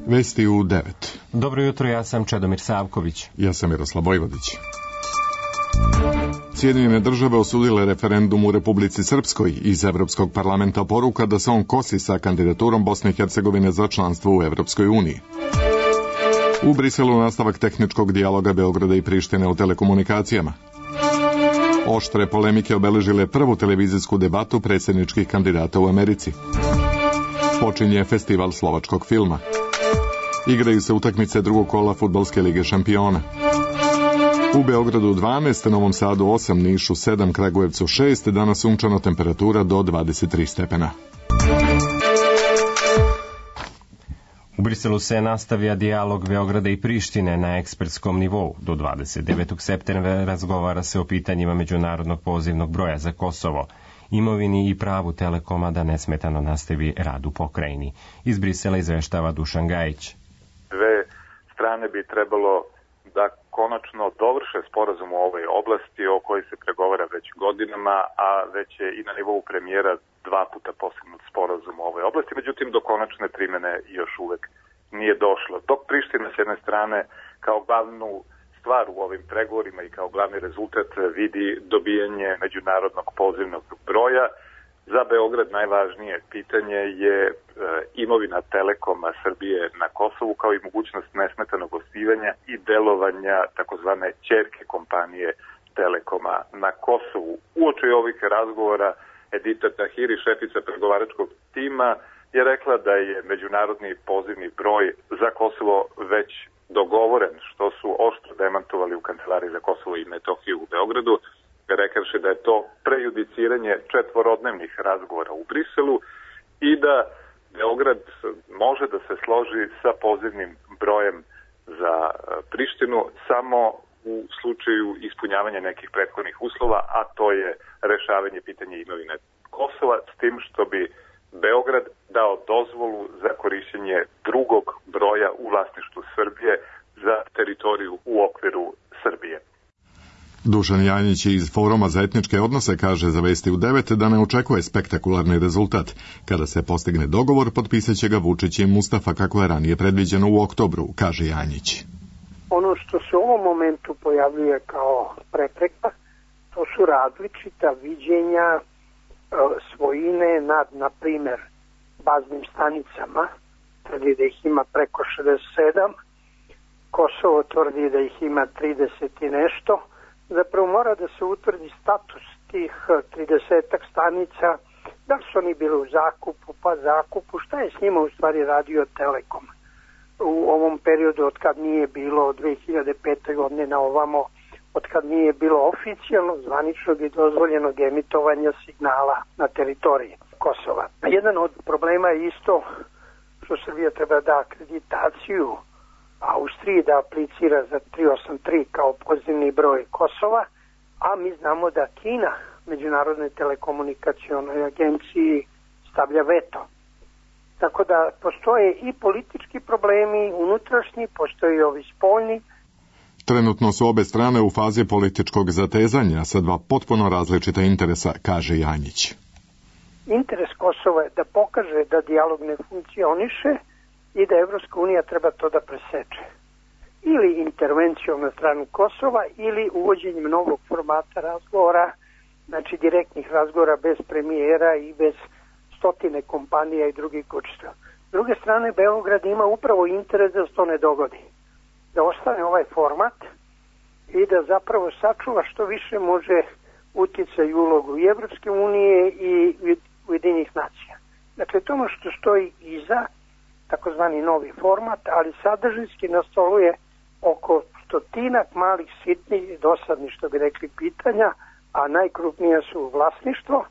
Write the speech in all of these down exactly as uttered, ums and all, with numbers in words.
Vesti u devet. Dobro jutro, ja sam Čedomir Savković. Ja sam Miroslav Vojvodić. Sjedinjene države osudile referendum u Republici Srpskoj. Iz Evropskog parlamenta poruka da se on kosi sa kandidaturom Bosne i Hercegovine za članstvo u Evropskoj uniji. U Briselu nastavak tehničkog dijaloga Beograda i Prištine o telekomunikacijama. Oštre polemike obeležile prvu televizijsku debatu predsjedničkih kandidata u Americi. Počinje festival slovačkog filma. Igraju se utakmice drugog kola Fudbalske lige šampiona. U Beogradu dvanaest, Novom Sadu osam, Nišu sedam, Kragujevcu šest, danas sunčana, temperatura do dvadeset tri stepena. U Briselu se nastavlja dijalog Beograda i Prištine na ekspertskom nivou. Do dvadeset devetog septembra razgovara se o pitanjima međunarodnog pozivnog broja za Kosovo, imovini i pravu Telekoma da nesmetano nastavi rad u pokrajini. Iz Brisela izveštava Dušan Gajić. Dve strane bi trebalo da konačno dovrše sporazum u ovoj oblasti o kojoj se pregovara već godinama, a već je i na nivou premijera dva puta postignut sporazum u ovoj oblasti, međutim do konačne primene još uvek nije došlo. Dok Priština s jedne strane kao glavnu stvar u ovim pregovorima i kao glavni rezultat vidi dobijanje međunarodnog pozivnog broja, za Beograd najvažnije pitanje je e, imovina Telekoma Srbije na Kosovu, kao i mogućnost nesmetanog osnivanja i delovanja takozvane ćerke kompanije Telekoma na Kosovu. Uoči ovih razgovora Edita Tahiri, šefica pregovaračkog tima, je rekla da je međunarodni pozivni broj za Kosovo već dogovoren, što su oštro demantovali u Kancelariji za Kosovo i Metohiju u Beogradu, rekavši da je to prejudiciranje četvorodnevnih razgovora u Briselu i da Beograd može da se složi sa pozivnim brojem za Prištinu samo u slučaju ispunjavanja nekih prethodnih uslova, a to je rešavanje pitanja imovine Kosova, s tim što bi Beograd dao dozvolu za korišćenje drugog broja u vlasništvu Srbije za teritoriju u okviru Srbije. Dušan Janjić iz Foruma za etničke odnose kaže za Vesti u devet da ne očekuje spektakularni rezultat. Kada se postigne dogovor, potpisat će ga Vučić i Mustafa kako je ranije predviđeno u oktobru, kaže Janjić. Ono što se u ovom momentu pojavljuje kao prepreka, to su različita viđenja e, svojine nad, na primer, baznim stanicama. Tvrdi da ih ima preko šezdeset sedam, Kosovo tvrdi da ih ima trideset i nešto. Zapravo mora da se utvrdi status tih tridesetak stanica, da li su oni bili u zakupu, pa zakupu, šta je s njima u stvari radio Telekom. U ovom periodu od kad nije bilo od dve hiljade pete. godine na ovamo, od kad nije bilo oficijalno zvaničnog i dozvoljenog emitovanja signala na teritoriji Kosova. Jedan od problema je isto što Srbija treba da akreditaciju Austriji da aplicira za tristo osamdeset tri kao pozivni broj Kosova, a mi znamo da Kina Međunarodnoj telekomunikacionoj agenciji stavlja veto. Tako da postoje i politički problemi unutrašnji, postoje i ovi spoljni. Trenutno su obe strane u fazi političkog zatezanja sa dva potpuno različita interesa, kaže Janjić. Interes Kosova je da pokaže da dijalog ne funkcioniše i da Evropska unija treba to da preseče. Ili intervencijom na stranu Kosova ili uvođenjem novog formata razgovora, znači direktnih razgovora bez premijera i bez stotine kompanija i drugih kućstva. S druge strane, Beograd ima upravo interes da se to ne dogodi. Da ostane ovaj format i da zapravo sačuva što više može uticaj i ulogu i Evropske unije i Ujedinjenih nacija. Dakle, to ono što stoji iza, takozvani novi format, ali sadržinski na stolu je oko stotinak malih sitnih i dosadnih, što bi rekli, pitanja, a najkrupnija su vlasništvo,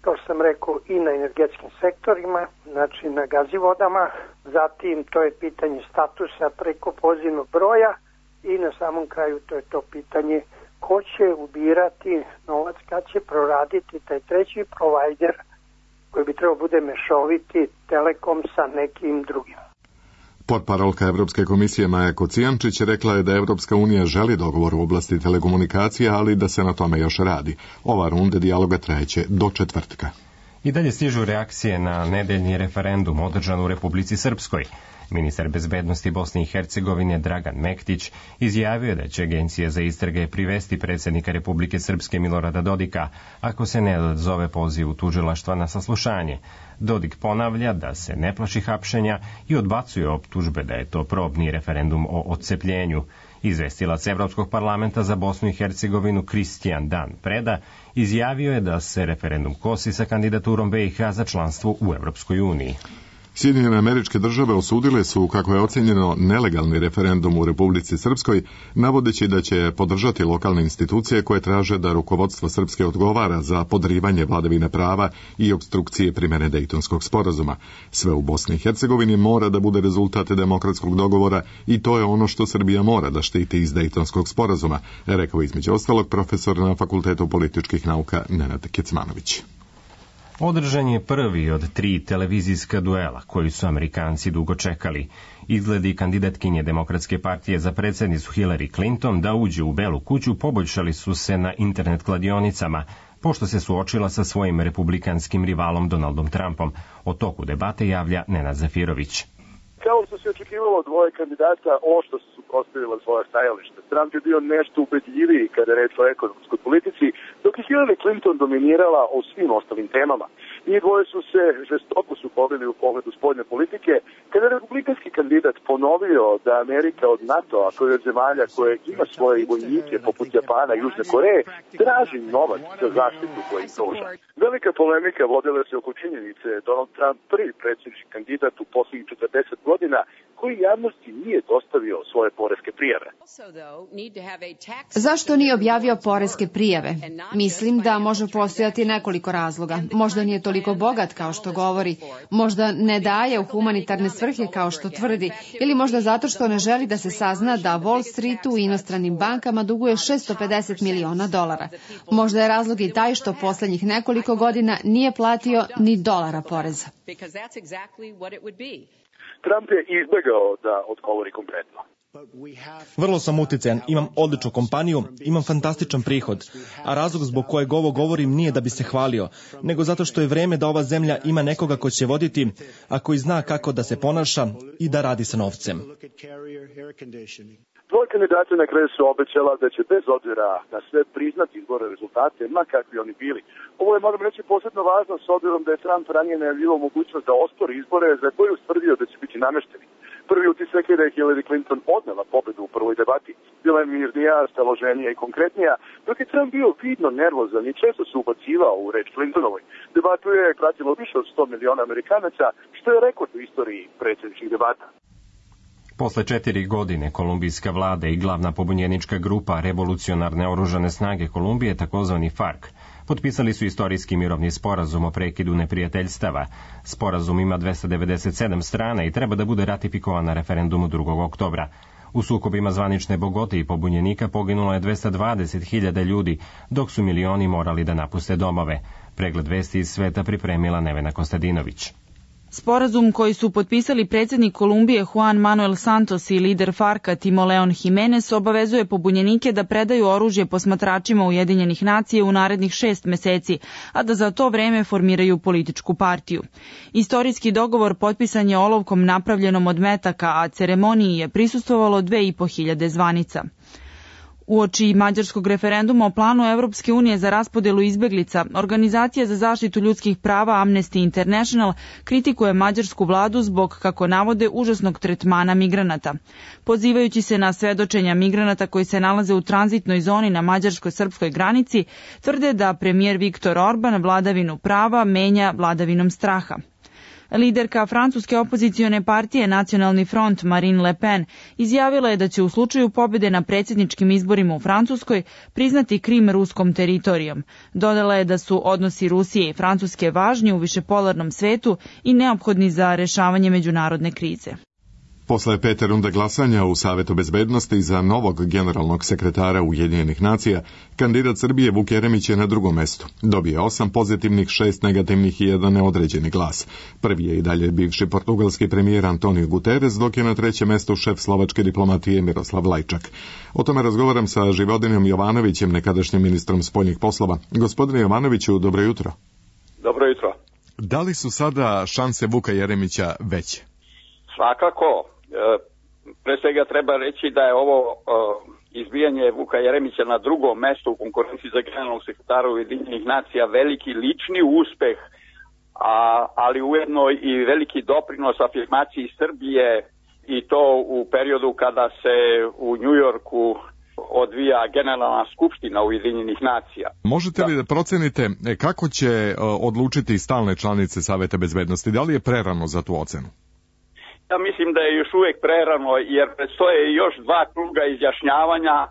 kao što sam rekao, i na energetskim sektorima, znači na gazivodama, zatim to je pitanje statusa preko pozivnog broja i na samom kraju to je to pitanje ko će ubirati novac, kad će proraditi taj treći provajder koji bi trebao bude mešoviti Telekom sa nekim drugim. Portparolka Evropske komisije Maja Kocijančić rekla je da Evropska unija želi dogovor u oblasti telekomunikacija, ali da se na tome još radi. Ova runda dijaloga trajeće do četvrtka. I dalje stižu reakcije na nedeljni referendum održan u Republici Srpskoj. Ministar bezbednosti Bosne i Hercegovine Dragan Mektić izjavio je da će Agencija za istrage privesti predsjednika Republike Srpske Milorada Dodika ako se ne odzove pozivu tužilaštva na saslušanje. Dodik ponavlja da se ne plaši hapšenja i odbacuje optužbe da je to probni referendum o odcepljenju. Izvestilac Evropskog parlamenta za Bosnu i Hercegovinu Kristijan Dan Preda izjavio je da se referendum kosi sa kandidaturom B i H za članstvo u Evropskoj uniji. Sjedinjene Američke Države osudile su, kako je ocenjeno, nelegalni referendum u Republici Srpskoj, navodeći da će podržati lokalne institucije koje traže da rukovodstvo Srpske odgovara za podrivanje vladavine prava i opstrukcije primjene Dejtonskog sporazuma. Sve u Bosni i Hercegovini mora da bude rezultat demokratskog dogovora i to je ono što Srbija mora da štiti iz Dejtonskog sporazuma, rekao između ostalog profesor na Fakultetu političkih nauka Nenad Kecmanović. Održan je prvi od tri televizijska duela koji su Amerikanci dugo čekali. Izgledi kandidatkinje Demokratske partije za predsjednicu Hillary Clinton da uđe u Belu kuću poboljšali su se na internet kladionicama, pošto se suočila sa svojim republikanskim rivalom Donaldom Trumpom. O toku debate javlja Nenad Zafirović. Kao što se očekivalo, dvoje kandidata oštro su suprotstavila svoje stajalište. Trump je bio nešto ubedljiviji kada je reč o ekonomskoj politici, dok je Hillary Clinton dominirala o svim ostalim temama. Njih dvoje su se žestoko sukobili u pogledu spoljne politike, kada je republikanski kandidat ponovio da Amerika od NATO-a, koja je od zemalja koje ima svoje vojnike poput Japana i Južne Koreje, traži novac za zaštitu koju im pruža. Velika polemika vodila se oko činjenice Donald Trump prvi predsjednički kandidat u posljednjih četrdeset godina koji javnosti nije dostavio svoje poreske prijave. Zašto nije objavio poreske prijave? Mislim da može postojati nekoliko razloga. Možda nije toliko bogat kao što govori, možda ne daje u humanitarne svrhe kao što tvrdi, ili možda zato što ne želi da se sazna da Wall Streetu i inostranim bankama duguje šesto pedeset miliona dolara. Možda je razlog i taj što posljednjih nekoliko godina nije platio ni dolara poreza. Trump je izbjegao da odgovori konkretno. Vrlo sam uticajan, imam odličnu kompaniju, imam fantastičan prihod, a razlog zbog kojeg ovo govorim nije da bi se hvalio, nego zato što je vreme da ova zemlja ima nekoga ko će voditi, a koji zna kako da se ponaša i da radi sa novcem. Dvoje kandidata na kraju su obećala da će bez obzira na sve priznati izborne rezultate, ma kakvi oni bili. Ovo je, moram reći, posebno važno s obzirom da je Trump ranije najavljivao mogućnost da ospori izbore za koje je ustvrdio da će biti namešteni. Prvi utisak je da je Hillary Clinton odnela pobedu u prvoj debati. Bila je mirnija, staloženija i konkretnija, dok je Trump bio vidno nervozan i često se ubacivao u reč Clintonovoj. Debatu je pratilo više od sto miliona Amerikanaca, što je rekord u istoriji predsjedničkih debata. Posle četiri godine kolumbijska vlada i glavna pobunjenička grupa Revolucionarne oružane snage Kolumbije, takozvani FARC, potpisali su istorijski mirovni sporazum o prekidu neprijateljstava. Sporazum ima dvesta devedeset sedam strana i treba da bude ratifikovan na referendumu drugog oktobra. U sukobima zvanične Bogote i pobunjenika poginulo je dvesta dvadeset hiljada ljudi, dok su milioni morali da napuste domove. Pregled vesti iz sveta pripremila Nevena Kostadinović. Sporazum koji su potpisali predsjednik Kolumbije Juan Manuel Santos i lider FARC-a Timo Leon Jimenez obavezuje pobunjenike da predaju oružje posmatračima Ujedinjenih nacija u narednih šest meseci, a da za to vreme formiraju političku partiju. Istorijski dogovor potpisan je olovkom napravljenom od metaka, a ceremoniji je prisustvovalo dve i po hiljade zvanica. Uoči mađarskog referenduma o planu Evropske unije za raspodelu izbeglica, Organizacija za zaštitu ljudskih prava Amnesty International kritikuje mađarsku vladu zbog, kako navode, užasnog tretmana migranata. Pozivajući se na svedočenja migranata koji se nalaze u tranzitnoj zoni na mađarsko-srpskoj granici, tvrde da premijer Viktor Orban vladavinu prava menja vladavinom straha. Liderka francuske opozicione partije Nacionalni front Marine Le Pen izjavila je da će u slučaju pobjede na predsjedničkim izborima u Francuskoj priznati Krim ruskom teritorijom. Dodala je da su odnosi Rusije i Francuske važni u višepolarnom svetu i neophodni za rešavanje međunarodne krize. Posle pete runde glasanja u Savetu bezbednosti za novog generalnog sekretara Ujedinjenih nacija, kandidat Srbije Vuk Jeremić je na drugom mestu. Dobije osam pozitivnih, šest negativnih i jedan neodređeni glas. Prvi je i dalje bivši portugalski premijer Antonio Guterres, dok je na trećem mestu šef slovačke diplomatije Miroslav Lajčak. O tome razgovaram sa Živodinom Jovanovićem, nekadašnjim ministrom spoljnih poslova. Gospodine Jovanoviću, dobro jutro. Dobro jutro. Da li su sada šanse Vuka Jeremića veće? Svakako. Pre svega treba reći da je ovo izbijanje Vuka Jeremića na drugom mestu u konkurenciji za generalnog sekretara Ujedinjenih nacija veliki lični uspeh, a, ali ujedno i veliki doprinos afirmaciji Srbije, i to u periodu kada se u Njujorku odvija generalna skupština Ujedinjenih nacija. Možete li da procenite kako će odlučiti stalne članice Saveta bezbednosti? Da li je prerano za tu ocenu? Ja mislim da je još uvijek prerano, jer predstoje još dva kruga izjašnjavanja e,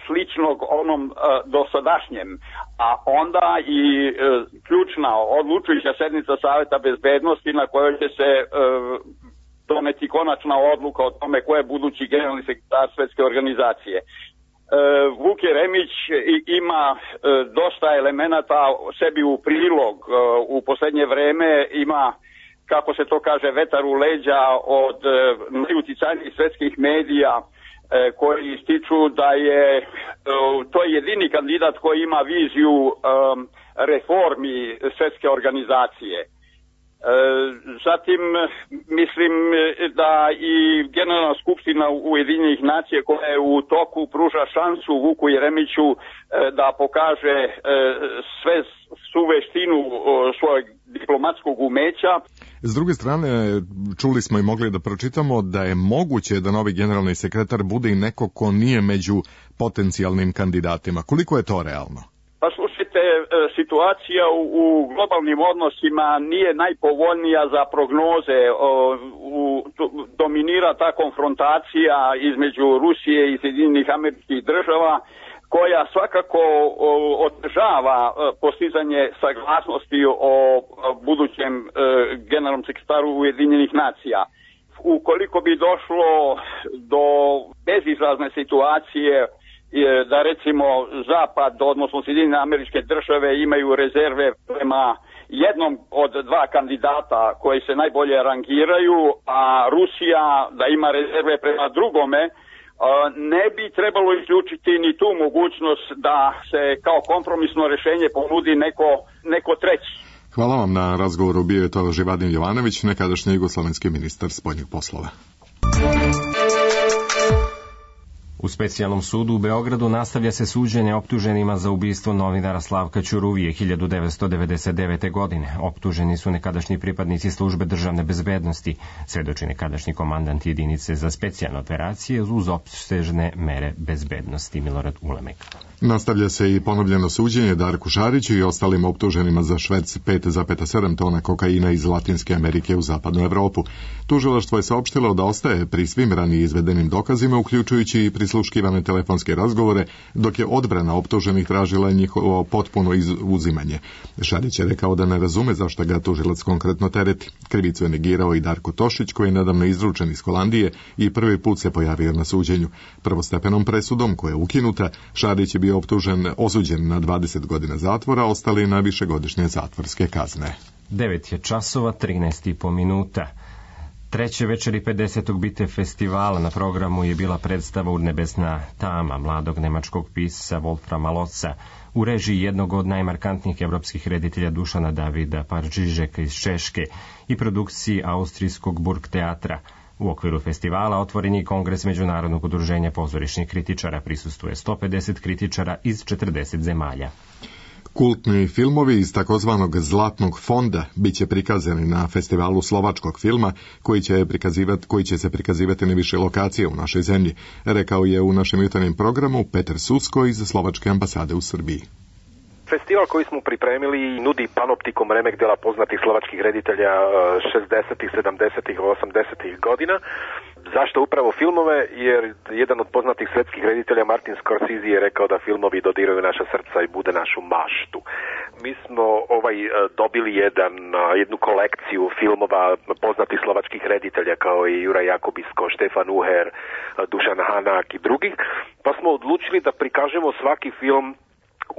sličnog onom e, dosadašnjem, a onda i e, ključna odlučujuća sednica Saveta bezbednosti na kojoj će se e, doneti konačna odluka o tome ko je budući generalni sekretar Svetske organizacije. E, Vuk Jeremić ima e, dosta elemenata sebi u prilog, e, u posljednje vreme ima, kako se to kaže, vetar u leđa od e, najuticajnijih svetskih medija e, koji ističu da je e, to jedini kandidat koji ima viziju e, reformi Svetske organizacije. E, zatim mislim da i Generalna skupština Ujedinjenih nacija koja je u toku pruža šansu Vuku Jeremiću e, da pokaže e, sve svu veštinu e, svojeg diplomatskog umeća. S druge strane, čuli smo i mogli da pročitamo da je moguće da novi generalni sekretar bude i neko ko nije među potencijalnim kandidatima. Koliko je to realno? Pa slušajte, situacija u globalnim odnosima nije najpovoljnija za prognoze. U, dominira ta konfrontacija između Rusije i Sjedinjenih Američkih Država, koja svakako otežava postizanje saglasnosti o budućem generalnom sekretaru Ujedinjenih nacija. Ukoliko bi došlo do bezizlazne situacije da recimo Zapad, odnosno Sjedinjene Američke Države, imaju rezerve prema jednom od dva kandidata koji se najbolje rangiraju, a Rusija da ima rezerve prema drugome, ne bi trebalo izključiti ni tu mogućnost da se kao kompromisno rješenje ponudi neko, neko treći. Hvala vam na razgovoru. Bio je to Živadin Jovanović, nekadašnji jugoslovenski ministar spoljnih poslova. U specijalnom sudu u Beogradu nastavlja se suđenje optuženima za ubistvo novinara Slavka Ćuruvije hiljadu devetsto devedeset devete. godine. Optuženi su nekadašnji pripadnici službe državne bezbednosti, svedoči nekadašnji komandant jedinice za specijalne operacije uz opsežne mere bezbednosti Milorad Ulemek. Nastavlja se i ponovljeno suđenje Darku Šariću i ostalim optuženima za šverc pet zarez sedam tona kokaina iz Latinske Amerike u zapadnu Evropu. Tužilaštvo je saopštilo da ostaje pri svim ranije izvedenim dokazima, uključujući i prisluškivane telefonske razgovore, dok je odbrana optuženih tražila njihovo potpuno uzimanje. Šarić je rekao da ne razume zašto ga tužilac konkretno tereti. Krivicu je negirao i Darko Tošić, koji je nedavno izručen iz Holandije i prvi put se pojavio na suđenju. Prvostepenom presudom, koja je ukinuta, Šarić je bio optužen, osuđen na dvadeset godina zatvora, ostali na višegodišnje zatvorske kazne. devet je časova, trinaest i po minuta. Treće večeri pedesetog Bite festivala na programu je bila predstava Urnebesna tama mladog nemačkog pisca Wolframa Lotza u režiji jednog od najmarkantnijih evropskih reditelja Dušana Davida Paržižeka iz Češke i produkciji austrijskog Burgteatra. U okviru festivala otvoren je kongres Međunarodnog udruženja pozorišnih kritičara, prisustvuje sto pedeset kritičara iz četrdeset zemalja. Kultni filmovi iz takozvanog Zlatnog fonda biće prikazani na festivalu slovačkog filma koji će, prikazivati, koji će se prikazivati na više lokacije u našoj zemlji, rekao je u našem jutarnjem programu Petar Susko iz Slovačke ambasade u Srbiji. Festival koji smo pripremili nudi panoptikom remek dela poznatih slovačkih reditelja šezdesetih, sedamdesetih, osamdesetih godina. Zašto upravo filmove? Jer jedan od poznatih svetskih reditelja Martin Scorsese je rekao da filmovi dodiraju naša srca i bude našu maštu. Mi smo ovaj dobili jedan, jednu kolekciju filmova poznatih slovačkih reditelja kao i Juraj Jakobisko, Štefan Uher, Dušan Hanak i drugih, pa smo odlučili da prikažemo svaki film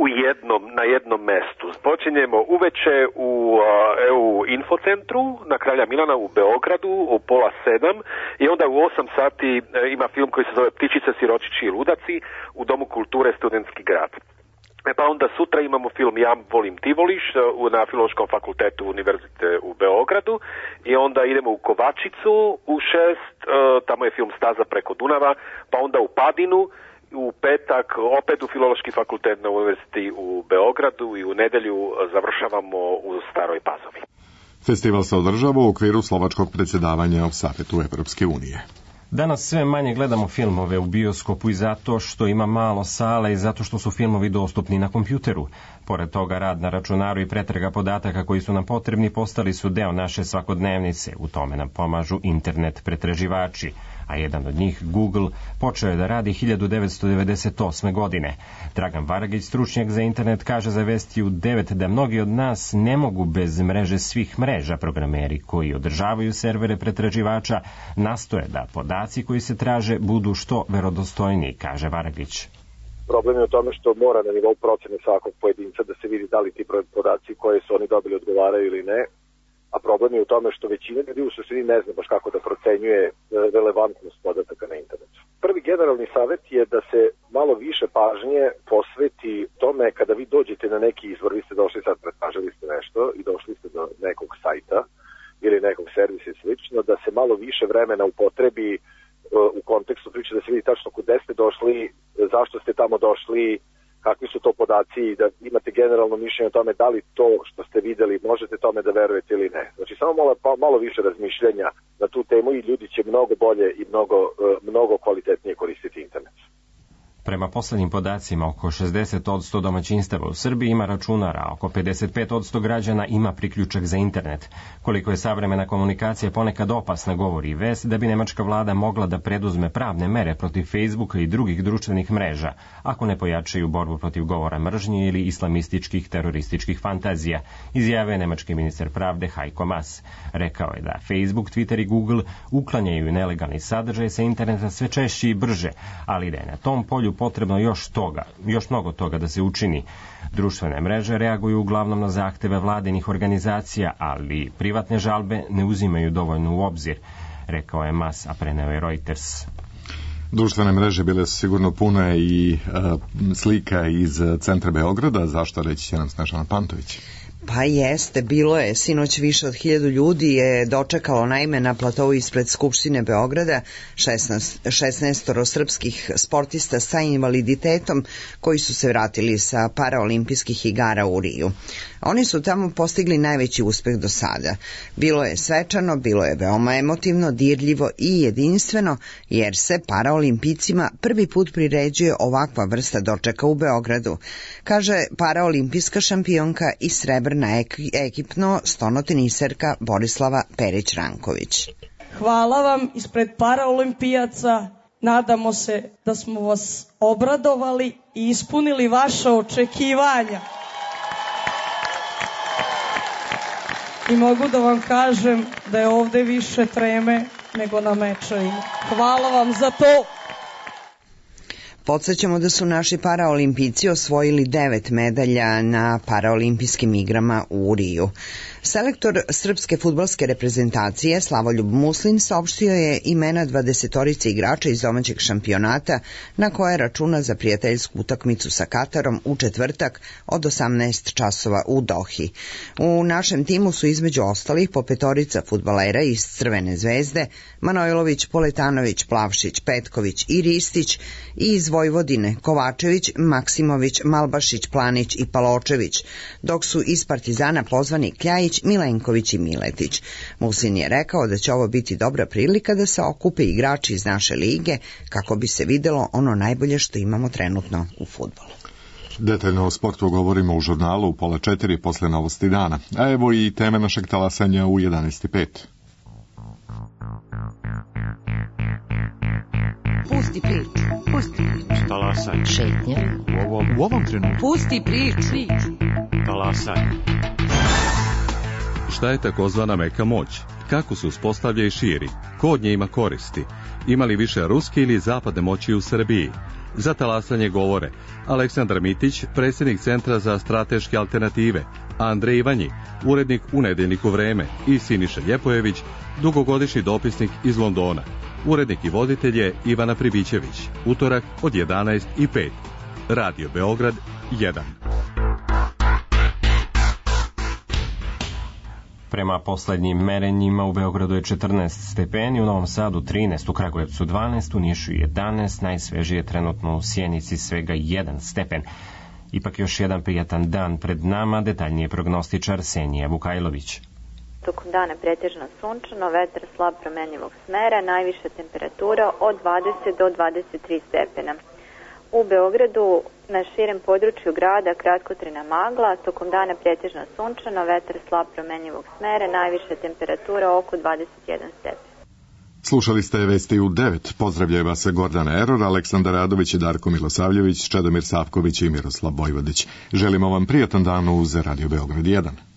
u jednom, na jednom mestu. Počinjemo uveče u E U infocentru na Kralja Milana u Beogradu u pola sedam i onda u osam sati ima film koji se zove Ptičice, siročići i ludaci u Domu kulture Studentski grad. E pa onda sutra imamo film Ja volim ti voliš na Filološkom fakultetu Univerzite u Beogradu i onda idemo u Kovačicu u šest, tamo je film Staza preko Dunava, pa onda u Padinu, u petak opet u Filološki fakultet na Univerziti u Beogradu i u nedelju završavamo u Staroj Pazovi. Festival se održava u okviru slovačkog predsjedavanja u Savetu Evropske unije. Danas sve manje gledamo filmove u bioskopu i zato što ima malo sale i zato što su filmovi dostupni na kompjuteru. Pored toga, rad na računaru i pretraga podataka koji su nam potrebni postali su deo naše svakodnevnice. U tome nam pomažu internet pretraživači, a jedan od njih, Google, počeo je da radi hiljadu devetsto devedeset osme. godine. Dragan Varagić, stručnjak za internet, kaže za Vesti u devet da mnogi od nas ne mogu bez mreže svih mreža. Programeri koji održavaju servere pretraživača nastoje da podaci koji se traže budu što verodostojniji, kaže Varagić. Problem je u tome što mora na nivou procene svakog pojedinca da se vidi da li ti podaci koje su oni dobili odgovaraju ili ne, a problem je u tome što većina ljudi u suštini ne zna baš kako da procenjuje relevantnost podataka na internetu. Prvi generalni savjet je da se malo više pažnje posveti tome kada vi dođete na neki izvor, vi ste došli sad, pretražili ste nešto i došli ste do nekog sajta ili nekog servisa i slično, da se malo više vremena upotrebi u kontekstu priče, da se vidi tačno kude ste došli, zašto ste tamo došli, kakvi su to podaci i da imate generalno mišljenje o tome da li to što ste videli možete tome da verujete ili ne. Znači samo malo, malo više razmišljanja na tu temu i ljudi će mnogo bolje i mnogo, mnogo kvalitetnije koristiti internet. Prema poslednjim podacima, oko šezdeset posto domaćinstava u Srbiji ima računar, a oko pedeset pet posto građana ima priključak za internet. Koliko je savremena komunikacija ponekad opasna, govori i vest da bi nemačka vlada mogla da preduzme pravne mere protiv Facebooka i drugih društvenih mreža, ako ne pojačaju borbu protiv govora mržnje ili islamističkih terorističkih fantazija, izjavio je nemački ministar pravde Heiko Maas. Rekao je da Facebook, Twitter i Google uklanjaju nelegalni sadržaj sa interneta sve češće i brže, ali da je na tom polju potrebno još toga, još mnogo toga da se učini. Društvene mreže reaguju uglavnom na zahteve vladinih organizacija, ali privatne žalbe ne uzimaju dovoljno u obzir, rekao je Maas, a preneo je Reuters. Društvene mreže bile su sigurno pune i uh, slika iz centra Beograda, zašto reći će nam Snežana Pantović? Pa jeste, bilo je. Sinoć više od hiljadu ljudi je dočekalo naime na platovu ispred Skupštine Beograda šesnaest srpskih sportista sa invaliditetom koji su se vratili sa paraolimpijskih igara u Riju. Oni su tamo postigli najveći uspeh do sada. Bilo je svečano, bilo je veoma emotivno, dirljivo i jedinstveno, jer se paraolimpijcima prvi put priređuje ovakva vrsta dočeka u Beogradu, kaže paraolimpijska šampionka i srebrna ekipno stonoteniserka Borislava Perić-Ranković. Hvala vam ispred paraolimpijaca. Nadamo se da smo vas obradovali i ispunili vaše očekivanja. I mogu da vam kažem da je ovde više treme nego na mečevima. Hvala vam za to. Podsjećamo da su naši paraolimpijci osvojili devet medalja na paraolimpijskim igrama u Riju. Selektor srpske fudbalske reprezentacije Slavoljub Muslin saopštio je imena dvadesetorice igrača iz domaćeg šampionata na koje računa za prijateljsku utakmicu sa Katarom u četvrtak od osamnaest časova u Dohi. U našem timu su između ostalih po petorica fudbalera iz Crvene zvezde, Manojlović, Poletanović, Plavšić, Petković i Ristić, i iz Vojvodine Kovačević, Maksimović, Malbašić, Planić i Paločević, dok su iz Partizana pozvani Kljajić, Milenković i Miletić. Muslin je rekao da će ovo biti dobra prilika da se okupe igrači iz naše lige kako bi se videlo ono najbolje što imamo trenutno u fudbalu. Detaljno o sportu govorimo u žurnalu u pola četiri posle novosti dana. A evo i teme našeg talasanja u jedanaest i pet. Pusti priču, pusti priču. Talasanje. Šetnja. U ovom, u ovom trenutku. Pusti priču. Talasanje. Šta je takozvana meka moć? Kako se uspostavlja i širi? Ko od nje ima koristi? Ima li više ruske ili zapadne moći u Srbiji? Za talasanje govore Aleksandar Mitić, predsjednik Centra za strateške alternative, Andrej Ivanji, urednik u Nedeljniku Vreme, i Siniša Ljepojević, dugogodišnji dopisnik iz Londona. Urednik i voditelj je Ivana Pribićević. Utorak od jedanaest i pet. Radio Beograd jedan. Prema poslednjim merenjima u Beogradu je četrnaest stepeni, u Novom Sadu trinaest, u Kragujevcu dvanaest, u Nišu jedanaest, najsvežije je trenutno u Sjenici svega jedan stepen. Ipak još jedan prijatan dan pred nama, detaljnije prognostičar Senija Vukajlović. Tokom dana pretežno sunčano, vetar slab promenjivog smera, najviša temperatura od dvadeset do dvadeset tri stepena. U Beogradu na širem području grada kratkotrajna magla, tokom dana pretežno sunčano, vetar slab promenjivog smera, najviša temperatura oko dvadeset jedan stepen. Slušali ste vesti u devet. Pozdravljaju vas Gordana Eror, Aleksandar Radović i Darko Milosavljević, Čedomir Savković i Miroslav Vojvodić. Želimo vam prijatan dan uz Radio Beograd jedan.